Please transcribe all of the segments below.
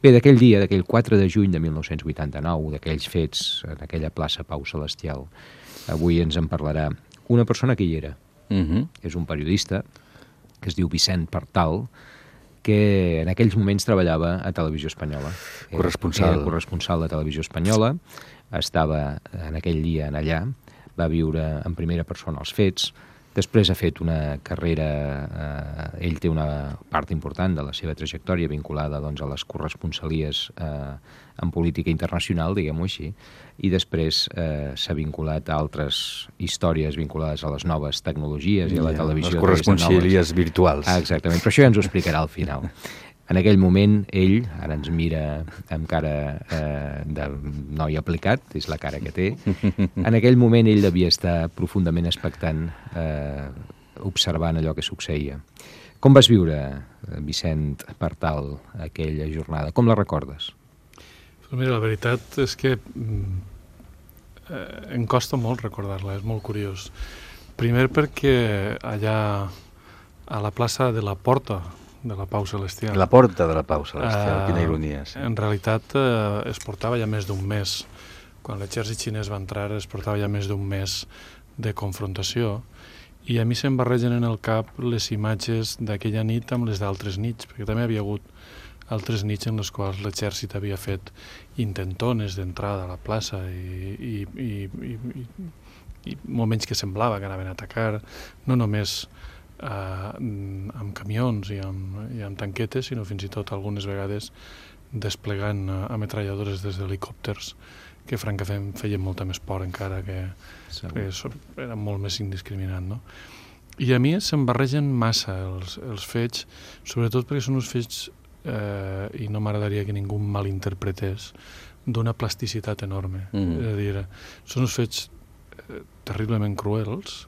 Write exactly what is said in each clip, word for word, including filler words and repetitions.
Bé, d'aquell dia, d'aquell quatre de juny de mil nou-cents vuitanta-nou, d'aquells fets en aquella plaça Pau Celestial, avui ens en parlarà una persona que hi era. Uh-huh. És un periodista que es diu Vicent Partal, que en aquells moments treballava a Televisió Espanyola. Corresponsal. Era corresponsal de Televisió Espanyola, estava en aquell dia en allà, va viure en primera persona els fets. Després ha fet una carrera, eh, ell té una part important de la seva trajectòria vinculada doncs, a les corresponsalies eh, en política internacional, diguem-ho així, i després eh, s'ha vinculat a altres històries vinculades a les noves tecnologies i a la Ja, televisió. les corresponsalies virtuals. Ah, exactament, però això ja ens ho explicarà al final. En aquell moment, ell, ara ens mira amb cara eh, de noi aplicat, és la cara que té, en aquell moment ell devia estar profundament expectant, eh, observant allò que succeïa. Com vas viure, Vicent Partal, aquella jornada? Com la recordes? Pues mira, la veritat és que mm, eh, em costa molt recordar-la, és molt curiós. Primer perquè allà a la plaça de la Porta de la Pau Celestial. La Porta de la Pau Celestial, uh, quina ironia. Sí. En realitat eh, es portava ja més d'un mes. Quan l'exèrcit xinès va entrar es portava ja més d'un mes de confrontació i a mi se'm barregen en el cap les imatges d'aquella nit amb les d'altres nits, perquè també havia hagut altres nits en les quals l'exèrcit havia fet intentones d'entrada a la plaça i, i, i, i, i, i moments que semblava que anaven a atacar, no només Uh, amb camions i amb, i amb tanquetes, sinó fins i tot algunes vegades desplegant uh, ametralladores des d'helicòpters que francament feien molta més por encara, que, que era molt més indiscriminat, no? I a mi se'm barregen massa els, els fets, sobretot perquè són uns fets, eh, i no m'agradaria que ningú malinterpretés, d'una plasticitat enorme. Mm. És a dir, són uns fets eh, terriblement cruels,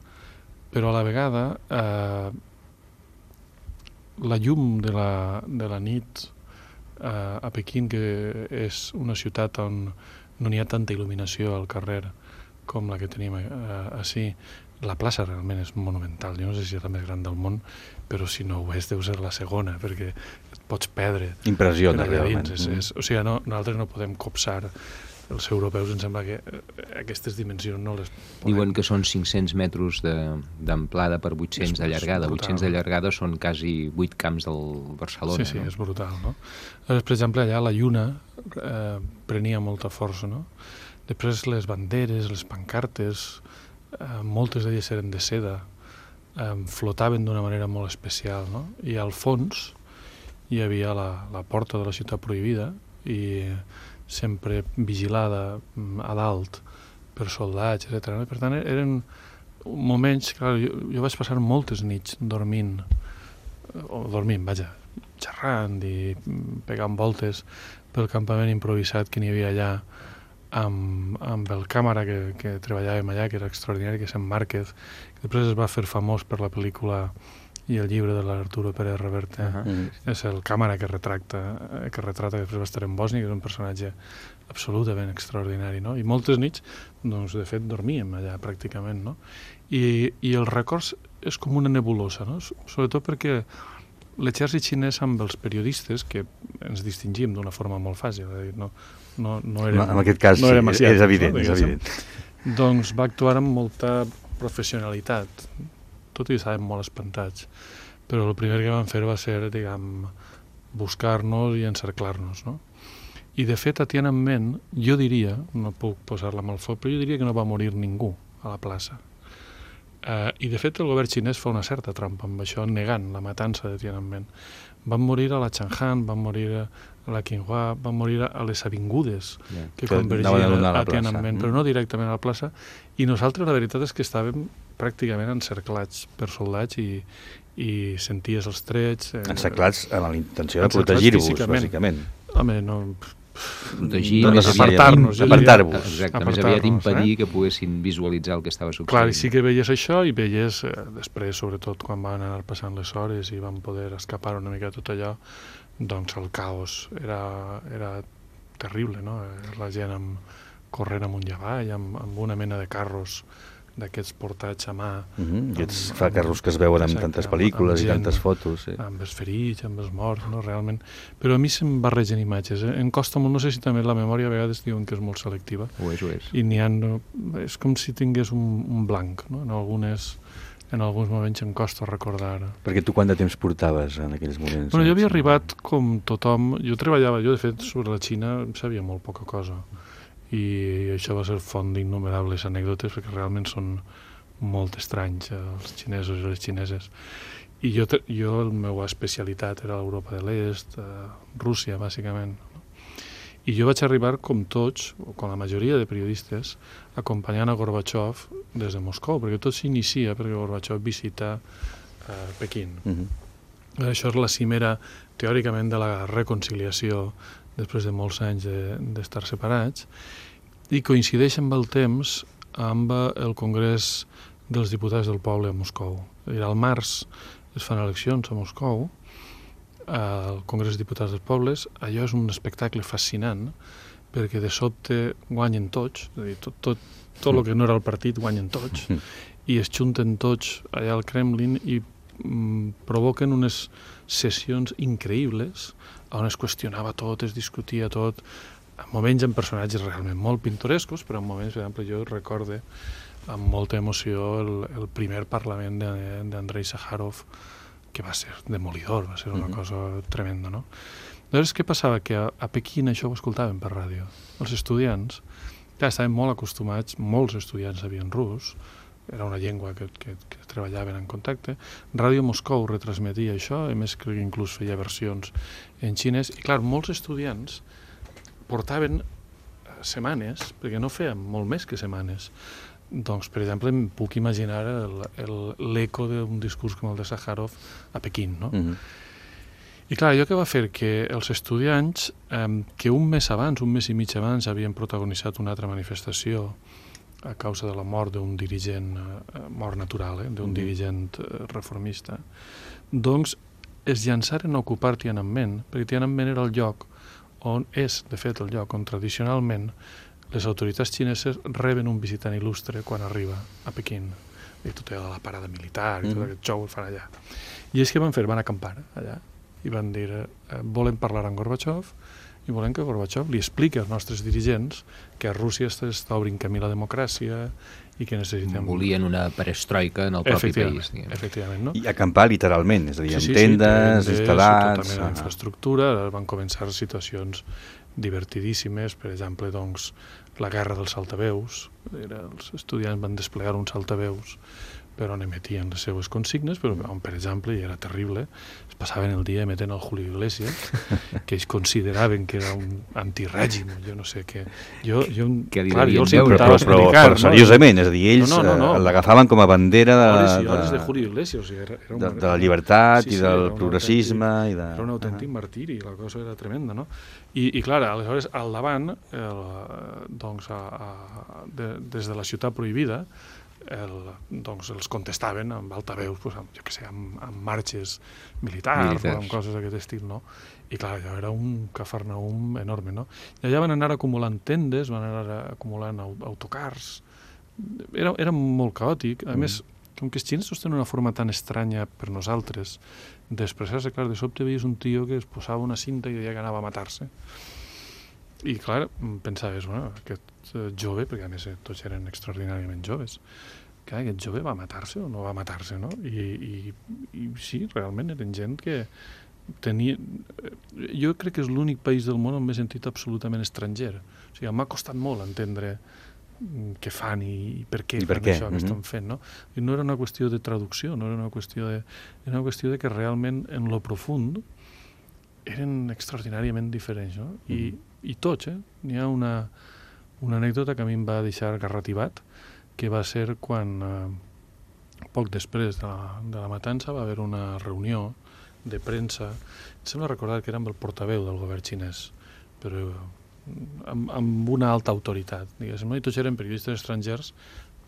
però a la vegada eh, la llum de la, de la nit eh, a Pequín, que és una ciutat on no n'hi ha tanta il·luminació al carrer com la que tenim eh, així, la plaça realment és monumental. Jo no sé si és la més gran del món, però si no ho és deu ser la segona, perquè et pots perdre. Impressiona, realment. És, és, o sigui, no, nosaltres no podem copsar. Els europeus em sembla que aquestes dimensions no les podem. Diuen que són cinc-cents metres d'amplada per vuit-cents de llargada. vuit-cents de llargada són quasi vuit camps del Barcelona. Sí, sí, no? És brutal, no? Llavors, per exemple, allà la lluna eh, prenia molta força, no? Després les banderes, les pancartes, eh, moltes d'elles eren de seda, eh, flotaven d'una manera molt especial, no? I al fons hi havia la, la porta de la ciutat prohibida i sempre vigilada a dalt per soldats, etcètera. Per tant, eren moments, clar, jo, jo vaig passar moltes nits dormint, o dormint, vaja, xerrant i pegant voltes pel campament improvisat que n'hi havia allà amb, amb el càmera que, que treballàvem allà, que era extraordinari, que és en Márquez, que després es va fer famós per la pel·lícula i el llibre de l'Arturo Pérez Reverte. Uh -huh. És el càmera que retracta, que retrata que després va estar en Bòsnia, que és un personatge absolutament extraordinari, no? I moltes nits, doncs, de fet, dormíem allà pràcticament, no? I, i el record és com una nebulosa, no? Sobretot perquè l'exèrcit xinès amb els periodistes, que ens distingim d'una forma molt fàcil, no, no, no érem, en aquest cas, no érem sí, és evident, no? és evident. Doncs va actuar amb molta professionalitat, tot i estàvem molt espantats, però el primer que van fer va ser, diguem, buscar-nos i encerclar-nos, no? I de fet a Tiananmen jo diria, no puc posar-la amb el foc, però jo diria que no va morir ningú a la plaça. Uh, I de fet el govern xinès fa una certa trampa amb això, negant la matança de Tiananmen. Van morir a la Chang'an, van morir a la Qinghua, van morir a les avingudes yeah. que, que convergien a, a Tiananmen, mm. però no directament a la plaça. I nosaltres la veritat és que estàvem pràcticament encerclats per soldats i, i senties els trets. Eh, encerclats amb la intenció de protegir-vos, bàsicament. Home, no... Protegir, no, apartar-nos. Apartar-vos. Exacte, més aviat impedir eh? que poguessin visualitzar el que estava succeint. Clar, i sí que veies això i veies, eh, després, sobretot, quan van anar passant les hores i van poder escapar una mica tot allò, doncs el caos era, era terrible, no? La gent amb, corrent amunt i avall, amb, amb una mena de carros d'aquests portats a mà. Mm-hmm. Aquests facarros que es veuen en tantes pel·lícules i tantes fotos. Sí. Amb els ferits, amb els morts, no? Realment. Però a mi se'm barregen imatges. Eh? Em costa molt, no sé si també la memòria a vegades diuen que és molt selectiva. Ho és, ho és. I n'hi ha... És com si tingués un, un blanc, no? En algunes... En alguns moments em costa recordar. Perquè tu quant de temps portaves en aquells moments? Bueno, jo havia arribat com tothom... Jo treballava, jo de fet sobre la Xina em sabia molt poca cosa. I això va ser font d'innomerables anècdotes perquè realment són molt estranys els xinesos i les xineses. I jo, jo la meva especialitat era l'Europa de l'Est, eh, Rússia, bàsicament. I jo vaig arribar, com tots, o com la majoria de periodistes, acompanyant a Gorbachev des de Moscou, perquè tot s'inicia perquè Gorbachev visita eh, Pequín. Uh-huh. Això és la cimera, teòricament, de la reconciliació després de molts anys d'estar de, separats, i coincideix amb el temps amb el Congrés dels Diputats del Poble a Moscou. Al març es fan eleccions a Moscou, al Congrés dels Diputats dels Pobles. Allò és un espectacle fascinant, perquè de sobte guanyen tots, és a dir, tot, tot, tot el que no era el partit guanyen tots, i es junten tots allà al Kremlin i mm, provoquen unes sessions increïbles on es qüestionava tot, es discutia tot, en moments amb personatges realment molt pintorescos, però en moments, per exemple, jo recorde amb molta emoció el, el primer Parlament d'Andrei Sàjarov, que va ser demolidor, va ser una uh-huh. cosa tremenda, no? Llavors, què passava? Que a, a Pequín això ho escoltaven per ràdio. Els estudiants, ja estaven molt acostumats, molts estudiants sabien rus, era una llengua que, que, que treballaven en contacte. Ràdio Moscou retransmetia això, a més crec que inclús feia versions en xinès, i clar, molts estudiants portaven setmanes, perquè no feien molt més que setmanes. Doncs, per exemple, em puc imaginar l'eco d'un discurs com el de Sàjarov a Pequín, no? Uh-huh. I clar, allò que va fer que els estudiants, eh, que un mes abans, un mes i mig abans, havien protagonitzat una altra manifestació a causa de la mort d'un dirigent, eh, mort natural, eh, d'un uh-huh. dirigent eh, reformista, doncs es llançaren a ocupar Tiananmen, perquè Tiananmen era el lloc on és, de fet, el lloc on tradicionalment les autoritats xineses reben un visitant il·lustre quan arriba a Pequín. I tot era la parada militar i tot mm. aquest xou el fan allà. I és que van fer, van acampar allà i van dir, eh, volem parlar amb Gorbachev i volem que Gorbachev li expliqui als nostres dirigents que a Rússia està obrint camí la democràcia i que necessitem... Volien una perestroika en el propi país. Efectivament, no? I acampar literalment, és a dir, sí, amb sí, tendes, sí, instal·lats... Tota mena d'infraestructura, van començar situacions divertidíssimes, per exemple, doncs, la guerra dels altaveus. Era, els estudiants van desplegar uns altaveus per on emetien les seues consignes, però on, per exemple, i era terrible, es passaven el dia emetent el Julio Iglesias, que ells consideraven que era un antirègim, jo no sé què. Jo, jo, que clar, jo els però, però, però, però seriosament, és a dir, ells no, no, no, no. l'agafaven com a bandera de, hores i hores de, de Julio Iglesias, o sigui, era, era un, de, de la llibertat sí, sí, i del progressisme. Autèntic, i de... Era un autèntic uh-huh. martiri, la cosa era tremenda, no? I, i clar, aleshores, al davant, el, doncs, a, a, de, des de la ciutat prohibida, el, doncs els contestaven amb altaveus, pues, amb, jo què sé, amb, amb marxes militars, militars o amb coses d'aquest estil, no? I clar, allò era un cafarnaum enorme, no? I allà van anar acumulant tendes, van anar acumulant autocars, era, era molt caòtic, a mm. més, com que els xinesos tenen una forma tan estranya per nosaltres d'expressar-se, clar, de sobte veies un tio que es posava una cinta i deia que anava a matar-se. I clar, pensaves, bueno, aquest jove, perquè a més tots eren extraordinàriament joves, que aquest jove va matar-se o no va matar-se, no? I, i, i sí, realment eren gent que tenia... Jo crec que és l'únic país del món on m'he sentit absolutament estranger. O sigui, m'ha costat molt entendre què fan i per què I per fan què? això que mm-hmm. estan fent, no? I no era una qüestió de traducció, no era una qüestió de... Era una qüestió de que realment en lo profund eren extraordinàriament diferents, no? I, mm-hmm. i tots, eh? N'hi ha una, una anècdota que a mi em va deixar garrativat, que va ser quan, eh, poc després de la, de la matança, va haver una reunió de premsa, em sembla recordar que era amb el portaveu del govern xinès, però amb, amb una alta autoritat, diguéssim, no? I tots eren periodistes estrangers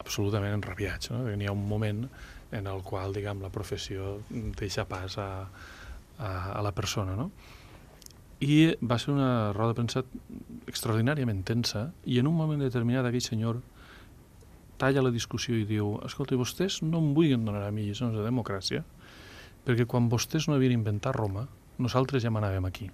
absolutament enrabiats, no? N'hi ha un moment en el qual, diguem, la professió deixa pas a, a, a la persona, no? I va ser una roda de premsa extraordinàriament tensa i en un moment determinat aquell senyor talla la discussió i diu, escolta, vostès no em vulguin donar a mi lliçons de democràcia, perquè quan vostès no havien inventat Roma, nosaltres ja manàvem aquí.